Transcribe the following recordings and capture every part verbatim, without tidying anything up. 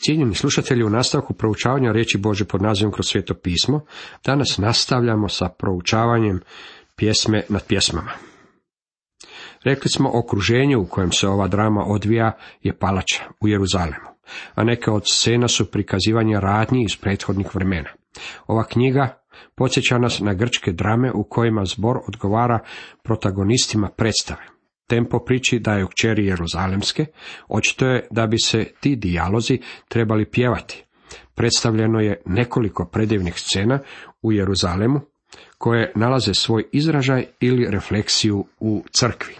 Cijenjeni slušatelji, u nastavku proučavanja riječi Božje pod nazivom Kroz sveto pismo, danas nastavljamo sa proučavanjem pjesme nad pjesmama. Rekli smo, okruženje u kojem se ova drama odvija je palača u Jeruzalemu, a neke od scena su prikazivanje radnji iz prethodnih vremena. Ova knjiga podsjeća nas na grčke drame u kojima zbor odgovara protagonistima predstave. Tempo priči daje u kćeri Jeruzalemske, očito je da bi se ti dijalozi trebali pjevati. Predstavljeno je nekoliko predivnih scena u Jeruzalemu, koje nalaze svoj izražaj ili refleksiju u crkvi.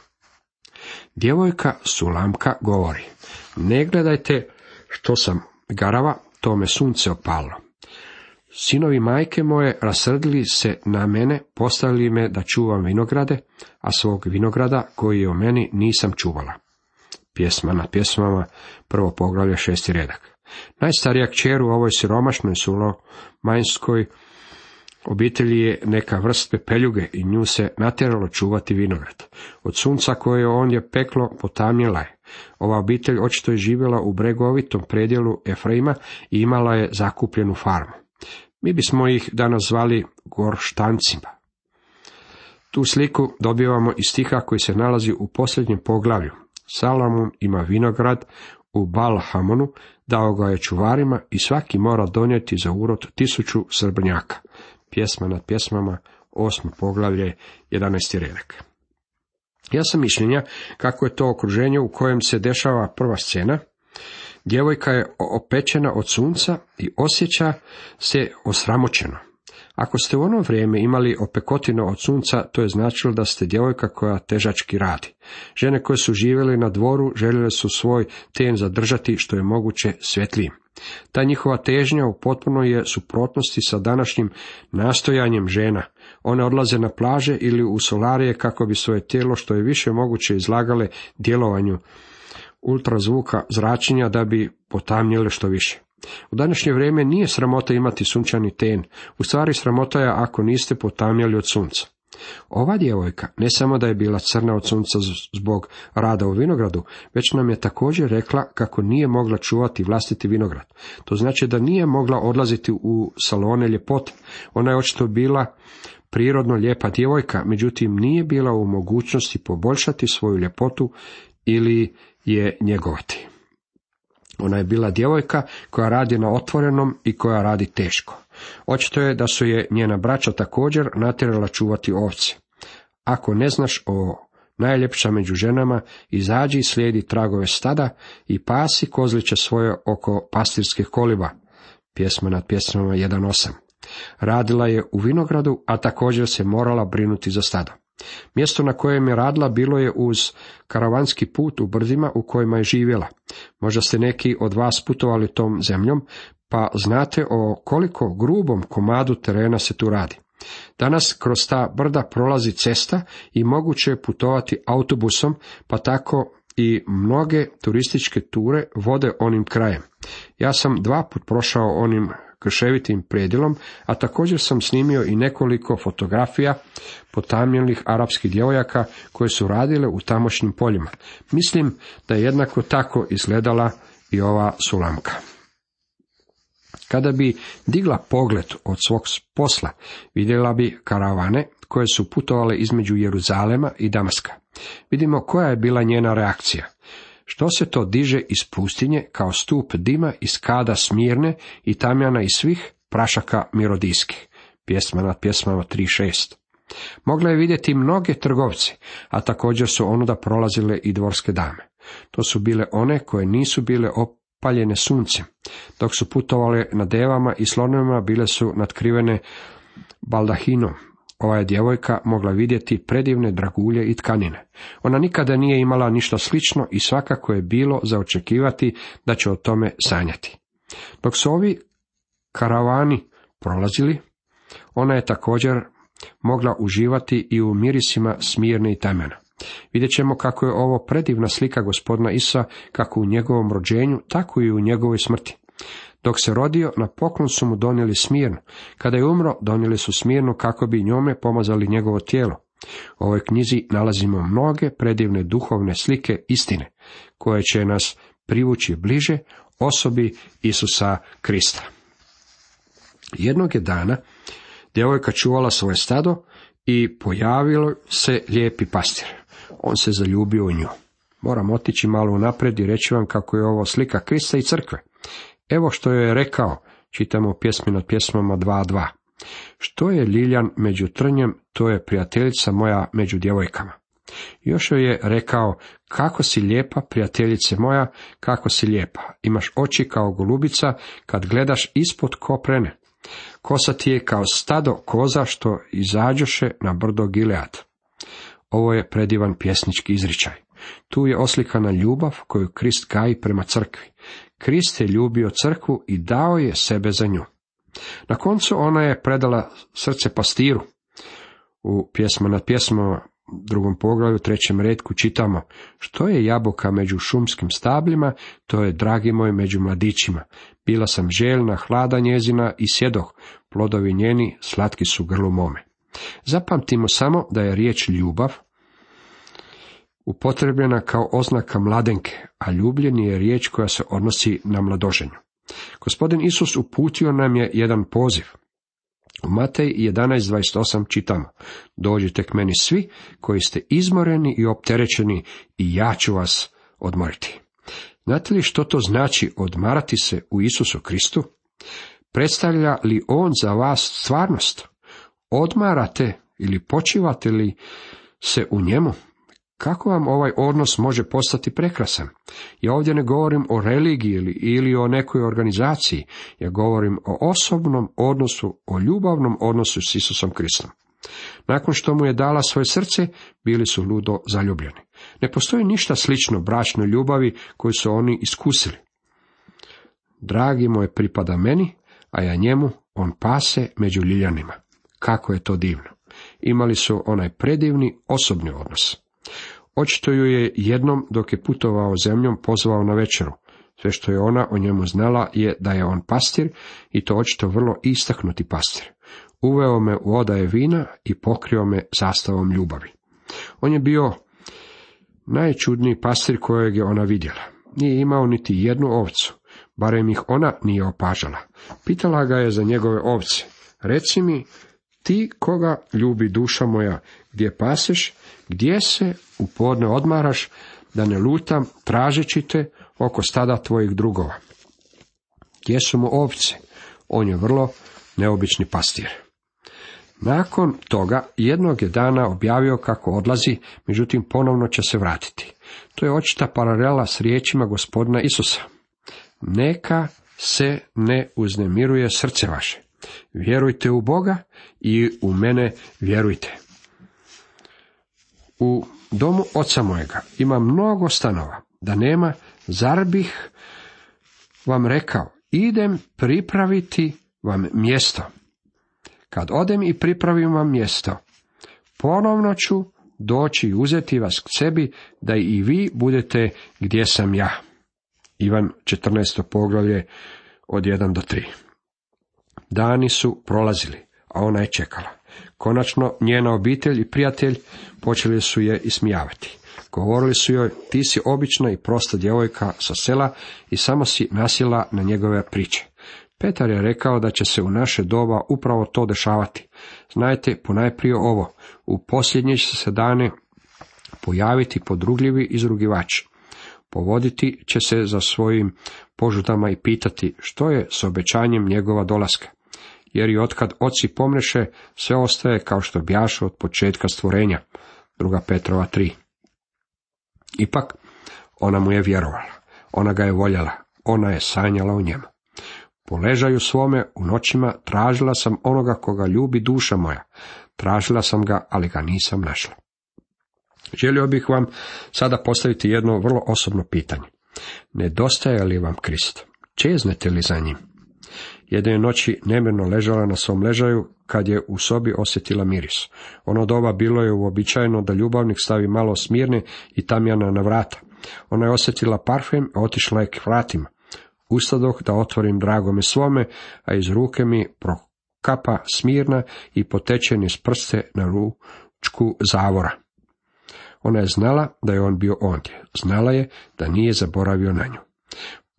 Djevojka Sulamka govori: ne gledajte što sam garava, to me sunce opalilo. Sinovi majke moje rasrdili se na mene, postavili me da čuvam vinograde, a svog vinograda koji je o meni nisam čuvala. Pjesma nad pjesmama, prvo poglavlje, šesti redak. Najstarija kćer u ovoj siromašnoj sulomanjskoj obitelji je neka vrst pepeljuge i nju se natjeralo čuvati vinograd. Od sunca koje on je peklo potamnjela je. Ova obitelj očito je živjela u bregovitom predjelu Efraima i imala je zakupljenu farmu. Mi bismo ih danas zvali gorštancima. Tu sliku dobivamo iz stiha koji se nalazi u posljednjem poglavlju. Salomon ima vinograd u Baal-Hamonu, dao ga je čuvarima i svaki mora donijeti za urod tisuću srebrnjaka. Pjesma nad pjesmama, osmo poglavlje, jedanaesti redak. Ja sam mišljenja kako je to okruženje u kojem se dešava prva scena. Djevojka je opečena od sunca i osjeća se osramoćeno. Ako ste u ono vrijeme imali opekotino od sunca, to je značilo da ste djevojka koja težački radi. Žene koje su živjele na dvoru željele su svoj ten zadržati što je moguće svjetlijim. Ta njihova težnja u potpunoj je suprotnosti sa današnjim nastojanjem žena. One odlaze na plaže ili u solarije kako bi svoje tijelo što je više moguće izlagale djelovanju ultrazvuka zračenja da bi potamnjele što više. U današnje vrijeme nije sramota imati sunčani ten, u stvari sramota je ako niste potamnjali od sunca. Ova djevojka ne samo da je bila crna od sunca zbog rada u vinogradu, već nam je također rekla kako nije mogla čuvati vlastiti vinograd. To znači da nije mogla odlaziti u salone ljepote. Ona je očito bila prirodno lijepa djevojka, međutim nije bila u mogućnosti poboljšati svoju ljepotu ili je njegovati. Ona je bila djevojka koja radi na otvorenom i koja radi teško. Očito je da su je njena braća također natjerala čuvati ovce. Ako ne znaš o najljepša među ženama, izađi i slijedi tragove stada i pasi kozliće svoje oko pastirskih koliba. Pjesma nad pjesmama jedan osam. Radila je u vinogradu, a također se morala brinuti za stado. Mjesto na kojem je radila bilo je uz karavanski put u brdima u kojima je živjela. Možda ste neki od vas putovali tom zemljom, pa znate o koliko grubom komadu terena se tu radi. Danas kroz ta brda prolazi cesta i moguće je putovati autobusom, pa tako i mnoge turističke ture vode onim krajem. Ja sam dva put prošao onim krševitim predjelom, a također sam snimio i nekoliko fotografija potamnjelih arapskih djevojaka koje su radile u tamošnjim poljima. Mislim da je jednako tako izgledala i ova Sulamka. Kada bi digla pogled od svog posla, vidjela bi karavane koje su putovale između Jeruzalema i Damaska. Vidimo koja je bila njena reakcija. Što se to diže iz pustinje kao stup dima iz kada Smirne i tamjana iz svih prašaka mirodijskih. Pjesma nad pjesmama tri šest. Mogla je vidjeti mnoge trgovce, a također su onuda prolazile i dvorske dame. To su bile one koje nisu bile opaljene suncem. Dok su putovale na devama i slonovima, bile su natkrivene baldahinom. Ova je djevojka mogla vidjeti predivne dragulje i tkanine. Ona nikada nije imala ništa slično i svakako je bilo za očekivati da će o tome sanjati. Dok su ovi karavani prolazili, ona je također mogla uživati i u mirisima Smirne i Tamjana. Vidjet ćemo kako je ovo predivna slika gospodina Isa, kako u njegovom rođenju, tako i u njegovoj smrti. Dok se rodio, na poklon su mu donijeli Smirnu. Kada je umro, donijeli su Smirnu kako bi njome pomazali njegovo tijelo. U ovoj knjizi nalazimo mnoge predivne duhovne slike istine, koje će nas privući bliže osobi Isusa Krista. Jednog je dana djevojka čuvala svoje stado i pojavilo se lijepi pastir. On se zaljubio u nju. Moram otići malo unaprijed i reći vam kako je ovo slika Krista i crkve. Evo što je rekao, čitamo u pjesmi nad pjesmama dva dva. Što je ljiljan među trnjem, to je prijateljica moja među djevojkama. Još joj je rekao, kako si lijepa, prijateljice moja, kako si lijepa. Imaš oči kao golubica kad gledaš ispod koprene. Kosa ti je kao stado koza što izađoše na brdo Gilead. Ovo je predivan pjesnički izričaj. Tu je oslikana ljubav koju Krist gaji prema crkvi. Krist je ljubio crkvu i dao je sebe za nju. Na koncu ona je predala srce pastiru. U pjesma nad pjesmama, drugom poglavlju, trećem retku čitamo, što je jabuka među šumskim stabljima, to je dragi moj među mladićima. Bila sam željna hlada njezina i sjedoh, plodovi njeni slatki su grlu mome. Zapamtimo samo da je riječ ljubav upotrebljena kao oznaka mladenke, a ljubljenje je riječ koja se odnosi na mladoženju. Gospodin Isus uputio nam je jedan poziv. U Matej jedanaest dvadeset osam čitamo, dođite k meni svi koji ste izmoreni i opterećeni i ja ću vas odmoriti. Znate li što to znači odmarati se u Isusu Kristu? Predstavlja li on za vas stvarnost? Odmarate ili počivate li se u njemu? Kako vam ovaj odnos može postati prekrasan? Ja ovdje ne govorim o religiji ili, ili o nekoj organizaciji, ja govorim o osobnom odnosu, o ljubavnom odnosu s Isusom Kristom. Nakon što mu je dala svoje srce, bili su ludo zaljubljeni. Ne postoji ništa slično bračnoj ljubavi koju su oni iskusili. Dragi moj pripada meni, a ja njemu, on pase među ljiljanima. Kako je to divno. Imali su onaj predivni osobni odnos. Očito ju je jednom dok je putovao zemljom pozvao na večeru. Sve što je ona o njemu znala je da je on pastir i to očito vrlo istaknuti pastir. Uveo me u odaje vina i pokrio me zastavom ljubavi. On je bio najčudniji pastir kojeg je ona vidjela. Nije imao niti jednu ovcu, barem ih ona nije opažala. Pitala ga je za njegove ovce. Reci mi, ti koga ljubi duša moja, gdje paseš, gdje se u podne odmaraš, da ne lutam tražeći te oko stada tvojih drugova. Gdje su mu ovce? On je vrlo neobični pastir. Nakon toga jednog je dana objavio kako odlazi, međutim ponovno će se vratiti. To je očita paralela s riječima Gospodina Isusa. Neka se ne uznemiruje srce vaše. Vjerujte u Boga i u mene vjerujte. U domu oca mojega ima mnogo stanova, da nema, zar bih vam rekao, idem pripraviti vam mjesto. Kad odem i pripravim vam mjesto, ponovno ću doći i uzeti vas k sebi, da i vi budete gdje sam ja. Ivan četrnaesto poglavlje od jedan do tri. Dani su prolazili, a ona je čekala. Konačno njena obitelj i prijatelj počeli su je ismijavati. Govorili su joj, ti si obična i prosta djevojka sa sela i samo si nasjela na njegove priče. Petar je rekao da će se u naše doba upravo to dešavati. Znajte ponajprije ovo, u posljednje će se dane pojaviti podrugljivi izrugivači. Povoditi će se za svojim požudama i pitati što je s obećanjem njegova dolaska. Jer i otkad oci pomreše, sve ostaje kao što bjaše od početka stvorenja. Druga Petrova tri. Ipak, ona mu je vjerovala. Ona ga je voljela. Ona je sanjala o njemu. Po ležaju svome u noćima tražila sam onoga koga ljubi duša moja. Tražila sam ga, ali ga nisam našla. Želio bih vam sada postaviti jedno vrlo osobno pitanje. Nedostaje li vam Krist? Čeznete li za njim? Jedne noći nemirno ležala na svom ležaju kad je u sobi osjetila miris. Ono doba bilo je uobičajeno da ljubavnik stavi malo smirne i tamjana na vrata. Ona je osjetila parfem, a otišla je k vratima. Ustadoh da otvorim dragome svome, a iz ruke mi prokapa smirna i poteče niz prste na ručku zavora. Ona je znala da je on bio ondje. Znala je da nije zaboravio na nju.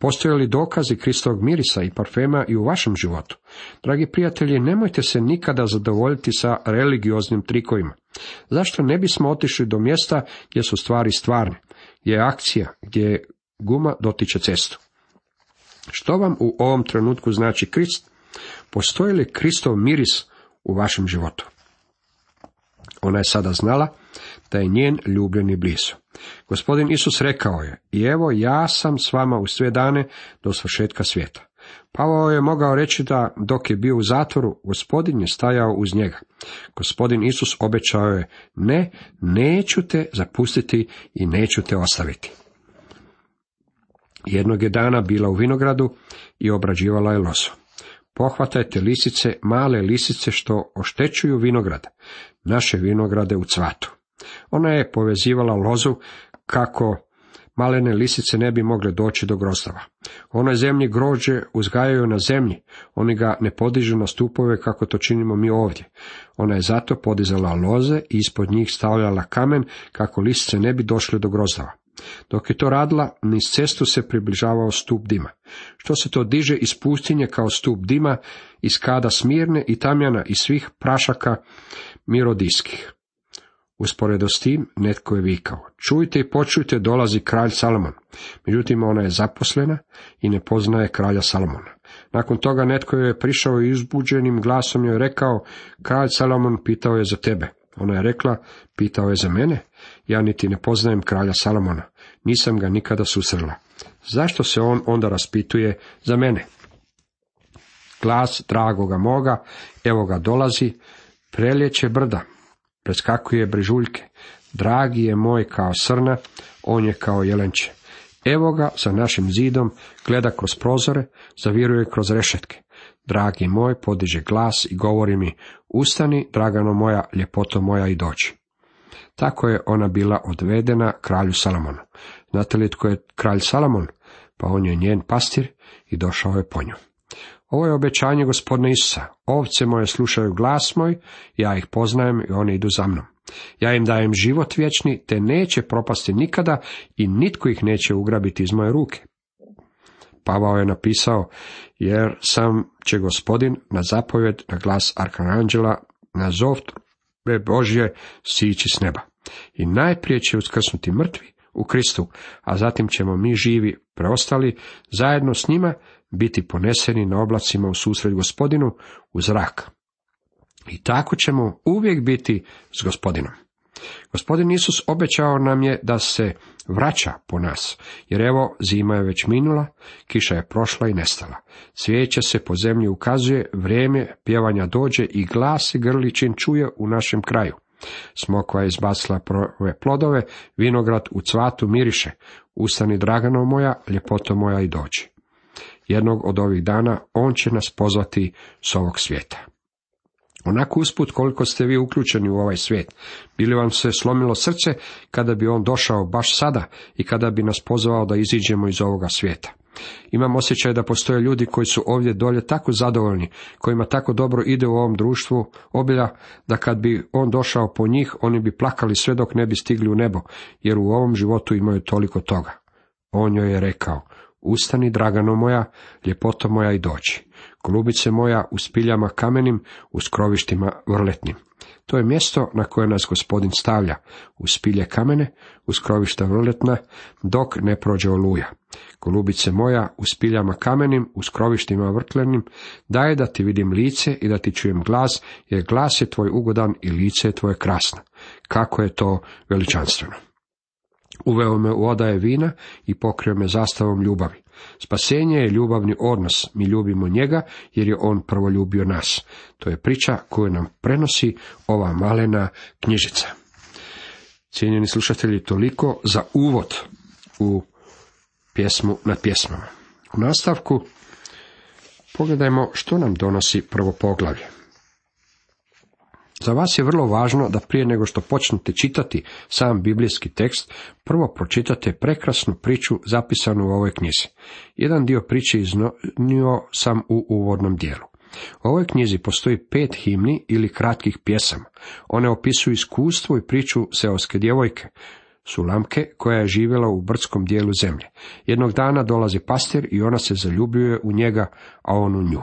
Postoje li dokazi Kristovog mirisa i parfema i u vašem životu? Dragi prijatelji, nemojte se nikada zadovoljiti sa religioznim trikovima. Zašto ne bismo otišli do mjesta gdje su stvari stvarne, gdje je akcija, gdje guma dotiče cestu? Što vam u ovom trenutku znači Krist? Postoji li Kristov miris u vašem životu? Ona je sada znala da je njen ljubljeni blizu. Gospodin Isus rekao je: i evo ja sam s vama u sve dane do svršetka svijeta. Pavao je mogao reći da dok je bio u zatvoru, Gospodin je stajao uz njega. Gospodin Isus obećao je: ne, neću te zapustiti i neću te ostaviti. Jednog je dana bila u vinogradu i obrađivala je lozu. Pohvatajte lisice, male lisice što oštećuju vinograd, naše vinograde u cvatu. Ona je povezivala lozu kako malene lisice ne bi mogle doći do grozdava. U onoj zemlji grožđe uzgajaju na zemlji, oni ga ne podižu na stupove kako to činimo mi ovdje. Ona je zato podizala loze i ispod njih stavljala kamen kako lisice ne bi došle do grozdava. Dok je to radila, niz cestu se približavao stup dima. Što se to diže iz pustinje kao stup dima, iz kada Smirne i Tamjana i svih prašaka mirodijskih. Usporedo s tim, netko je vikao: čujte i počujte, dolazi kralj Salomon. Međutim, ona je zaposlena i ne poznaje kralja Salomona. Nakon toga netko je prišao i uzbuđenim glasom joj rekao: kralj Salomon pitao je za tebe. Ona je rekla: pitao je za mene? Ja niti ne poznajem kralja Salomona, nisam ga nikada susrela. Zašto se on onda raspituje za mene? Glas dragoga moga, evo ga dolazi, preljeće brda, preskakuje brežuljke, dragi je moj kao srna, on je kao jelenče. Evo ga za našim zidom, gleda kroz prozore, zaviruje kroz rešetke. Dragi moj podiže glas i govori mi: ustani, dragano moja, ljepoto moja, i doći. Tako je ona bila odvedena kralju Salomonu. Znate li tko je kralj Salomon? Pa on je njen pastir i došao je po nju. Ovo je obećanje Gospodina Isusa: ovce moje slušaju glas moj, ja ih poznajem i oni idu za mnom. Ja im dajem život vječni, te neće propasti nikada i nitko ih neće ugrabiti iz moje ruke. Pavao je napisao: jer sam će Gospodin na zapovjed, na glas arkanđela, na zov trube Božje sići s neba. I najprije će uskrsnuti mrtvi u Kristu, a zatim ćemo mi živi preostali zajedno s njima biti poneseni na oblacima u susret Gospodinu u zrak. I tako ćemo uvijek biti s Gospodinom. Gospodin Isus obećao nam je da se vraća po nas, jer evo zima je već minula, kiša je prošla i nestala. Cvijeće se po zemlji ukazuje, vrijeme pjevanja dođe i glas i grličin čuje u našem kraju. Smokva je izbacila prve plodove, vinograd u cvatu miriše. Ustani, dragano moja, ljepoto moja, i dođi. Jednog od ovih dana on će nas pozvati s ovog svijeta. Onako usput koliko ste vi uključeni u ovaj svijet, bi li vam se slomilo srce kada bi on došao baš sada i kada bi nas pozvao da iziđemo iz ovoga svijeta? Imam osjećaj da postoje ljudi koji su ovdje dolje tako zadovoljni, kojima tako dobro ide u ovom društvu obilja, da kad bi on došao po njih, oni bi plakali sve dok ne bi stigli u nebo, jer u ovom životu imaju toliko toga. On joj je rekao: ustani, dragano moja, ljepoto moja, i doći. Golubice moja u spiljama kamenim, u skrovištima vrletnim. To je mjesto na koje nas Gospodin stavlja, u spilje kamene, u skrovišta vrletna, dok ne prođe oluja. Golubice moja u spiljama kamenim, u skrovištima vrtlenim, daj da ti vidim lice i da ti čujem glas, jer glas je tvoj ugodan i lice je tvoje krasno. Kako je to veličanstveno! Uveo me u odaje vina i pokrio me zastavom ljubavi. Spasenje je ljubavni odnos, mi ljubimo njega jer je on prvo ljubio nas. To je priča koju nam prenosi ova malena knjižica. Cijenjeni slušatelji, toliko za uvod u pjesmu nad pjesmama. U nastavku pogledajmo što nam donosi prvo poglavlje. Za vas je vrlo važno da prije nego što počnete čitati sam biblijski tekst, prvo pročitate prekrasnu priču zapisanu u ovoj knjizi. Jedan dio priče iznio sam u uvodnom dijelu. U ovoj knjizi postoji pet himni ili kratkih pjesama. One opisuju iskustvo i priču seoske djevojke. Sulamke, koja je živjela u brdskom dijelu zemlje. Jednog dana dolazi pastir i ona se zaljubljuje u njega, a on u nju.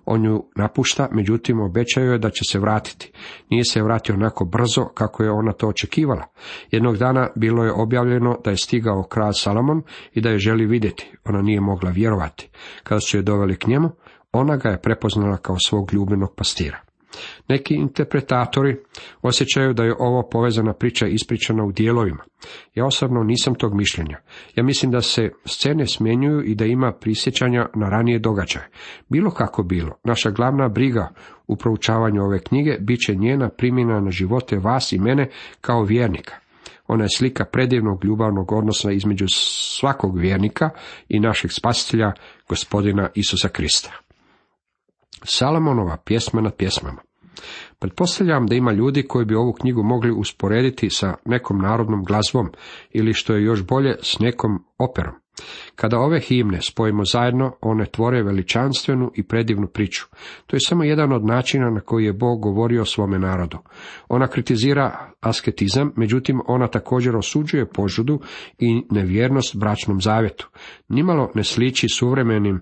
On ju napušta, međutim obećaju je da će se vratiti. Nije se vratio onako brzo kako je ona to očekivala. Jednog dana bilo je objavljeno da je stigao kralj Salomon i da je želi vidjeti. Ona nije mogla vjerovati. Kada su je doveli k njemu, ona ga je prepoznala kao svog ljubljenog pastira. Neki interpretatori osjećaju da je ovo povezana priča ispričana u dijelovima. Ja osobno nisam tog mišljenja. Ja mislim da se scene smjenjuju i da ima prisjećanja na ranije događaje. Bilo kako bilo, naša glavna briga u proučavanju ove knjige bit će njena primjena na živote vas i mene kao vjernika. Ona je slika predivnog ljubavnog odnosa između svakog vjernika i našeg spasitelja, gospodina Isusa Krista. Salomonova pjesma nad pjesmama. Pretpostavljam da ima ljudi koji bi ovu knjigu mogli usporediti sa nekom narodnom glazbom ili što je još bolje s nekom operom. Kada ove himne spojimo zajedno, one tvore veličanstvenu i predivnu priču. To je samo jedan od načina na koji je Bog govorio o svome narodu. Ona kritizira asketizam, međutim ona također osuđuje požudu i nevjernost bračnom zavjetu. Nimalo ne sliči suvremenim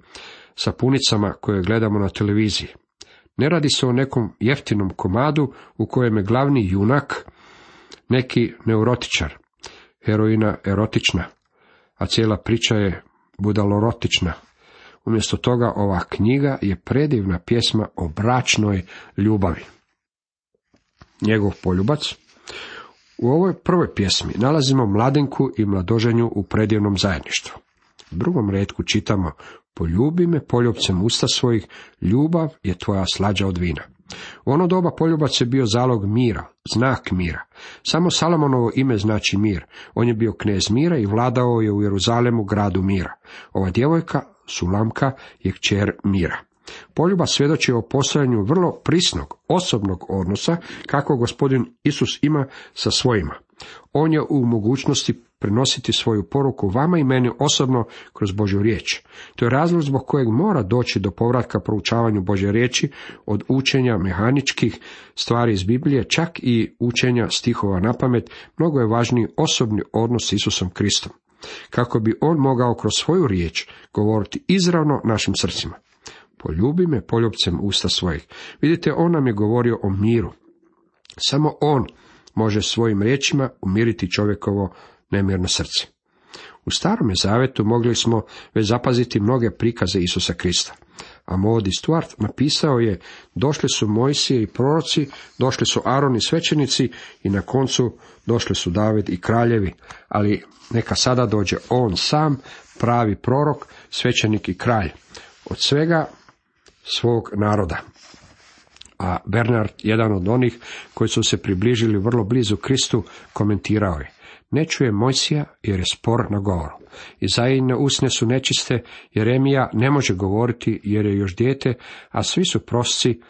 sapunicama koje gledamo na televiziji. Ne radi se o nekom jeftinom komadu u kojem je glavni junak neki neurotičar, heroina erotična, a cijela priča je budalorotična. Umjesto toga ova knjiga je predivna pjesma o bračnoj ljubavi. Njegov poljubac. U ovoj prvoj pjesmi nalazimo mladenku i mladoženju u predivnom zajedništvu. U drugom retku čitamo: poljubi me poljubcem usta svojih, ljubav je tvoja slađa od vina. U ono doba poljubac je bio zalog mira, znak mira. Samo Salomonovo ime znači mir. On je bio knez mira i vladao je u Jeruzalemu, gradu mira. Ova djevojka, Sulamka, je kćer mira. Poljubac svjedoči o postojanju vrlo prisnog, osobnog odnosa kako gospodin Isus ima sa svojima. On je u mogućnosti prenositi svoju poruku vama i meni osobno kroz Božju riječ. To je razlog zbog kojeg mora doći do povratka proučavanju Božje riječi, od učenja mehaničkih stvari iz Biblije, čak i učenja stihova napamet. Mnogo je važniji osobni odnos s Isusom Kristom, kako bi on mogao kroz svoju riječ govoriti izravno našim srcima. Poljubi me poljubcem usta svojih. Vidite, on nam je govorio o miru. Samo on može svojim riječima umiriti čovjekovo nemirno srce. U Starome zavetu mogli smo već zapaziti mnoge prikaze Isusa Krista. A Maudie Stuart napisao je: došli su Mojsije i proroci, došli su Aron i svećenici i na koncu došli su David i kraljevi, ali neka sada dođe on sam, pravi prorok, svećenik i kralj, od svega svog naroda. A Bernard, jedan od onih koji su se približili vrlo blizu Kristu, komentirao je: ne čuje Mojsija jer je spor na govoru. Izaijine usne su nečiste, Jeremija ne može govoriti jer je još dijete, a svi su prosci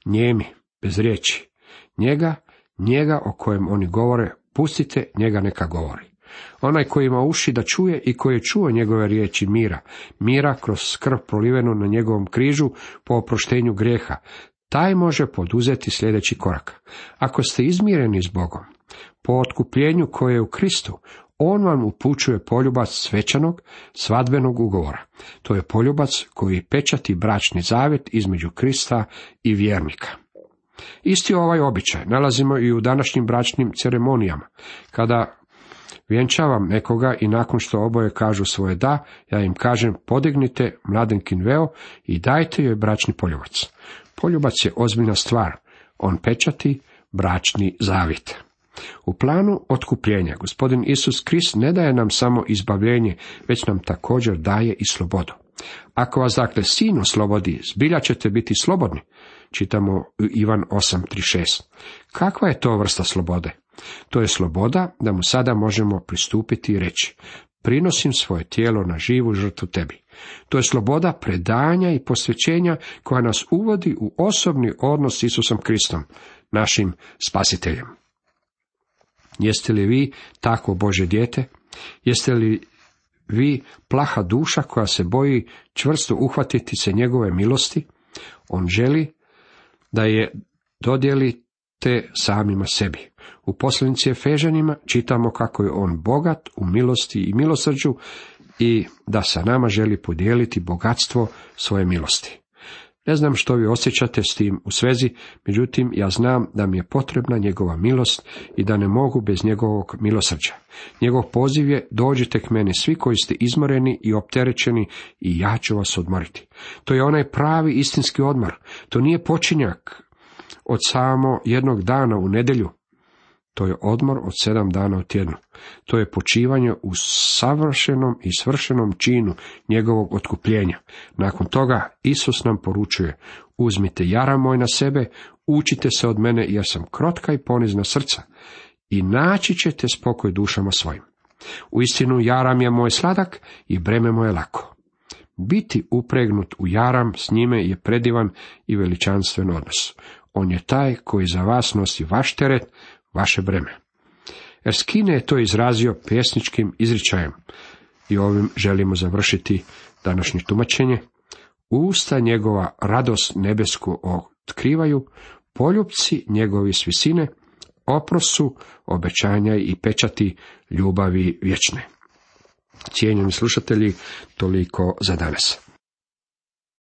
njemi, bez riječi. Njega, njega o kojem oni govore, pustite njega neka govori. Onaj koji ima uši da čuje i koji je čuo njegove riječi mira, mira kroz skrb prolivenu na njegovom križu po oproštenju grijeha, taj može poduzeti sljedeći korak. Ako ste izmireni s Bogom, po otkupljenju koje je u Kristu, on vam upućuje poljubac svečanog, svadbenog ugovora. To je poljubac koji pečati bračni zavjet između Krista i vjernika. Isti ovaj običaj nalazimo i u današnjim bračnim ceremonijama. Kada vjenčavam nekoga i nakon što oboje kažu svoje da, ja im kažem: podignite mladenkin veo i dajte joj bračni poljubac. Poljubac je ozbiljna stvar, on pečati bračni zavjet. U planu otkupljenja gospodin Isus Krist ne daje nam samo izbavljenje, već nam također daje i slobodu. Ako vas dakle Sin oslobodi, zbilja ćete biti slobodni, čitamo u Ivan osam trideset šest. Kakva je to vrsta slobode? To je sloboda da mu sada možemo pristupiti i reći: prinosim svoje tijelo na živu žrtvu tebi. To je sloboda predanja i posvećenja koja nas uvodi u osobni odnos s Isusom Kristom, našim spasiteljem. Jeste li vi takvo Božje dijete? Jeste li vi plaha duša koja se boji čvrsto uhvatiti se njegove milosti? On želi da je dodijeli te samima sebi. U poslanici Efežanima čitamo kako je on bogat u milosti i milosrđu i da sa nama želi podijeliti bogatstvo svoje milosti. Ne znam što vi osjećate s tim u svezi, međutim ja znam da mi je potrebna njegova milost i da ne mogu bez njegovog milosrđa. Njegov poziv je: dođite k meni svi koji ste izmoreni i opterećeni i ja ću vas odmoriti. To je onaj pravi istinski odmor. To nije počinjak od samo jednog dana u nedjelju. To je odmor od sedam dana u tjednu. To je počivanje u savršenom i svršenom činu njegovog otkupljenja. Nakon toga Isus nam poručuje: uzmite jaram moj na sebe, učite se od mene jer sam krotka i ponizna srca i naći ćete spokoj dušama svojim. Uistinu jaram je moj sladak i breme moje lako. Biti upregnut u jaram s njime je predivan i veličanstven odnos. On je taj koji za vas nosi vaš teret, vaše breme. Erskine je to izrazio pjesničkim izričajem i ovim želimo završiti današnje tumačenje. Usta njegova radost nebesku otkrivaju, poljupci njegovi s visine, oprosu, obećanja i pečati ljubavi vječne. Cijenjeni slušatelji, toliko za danas.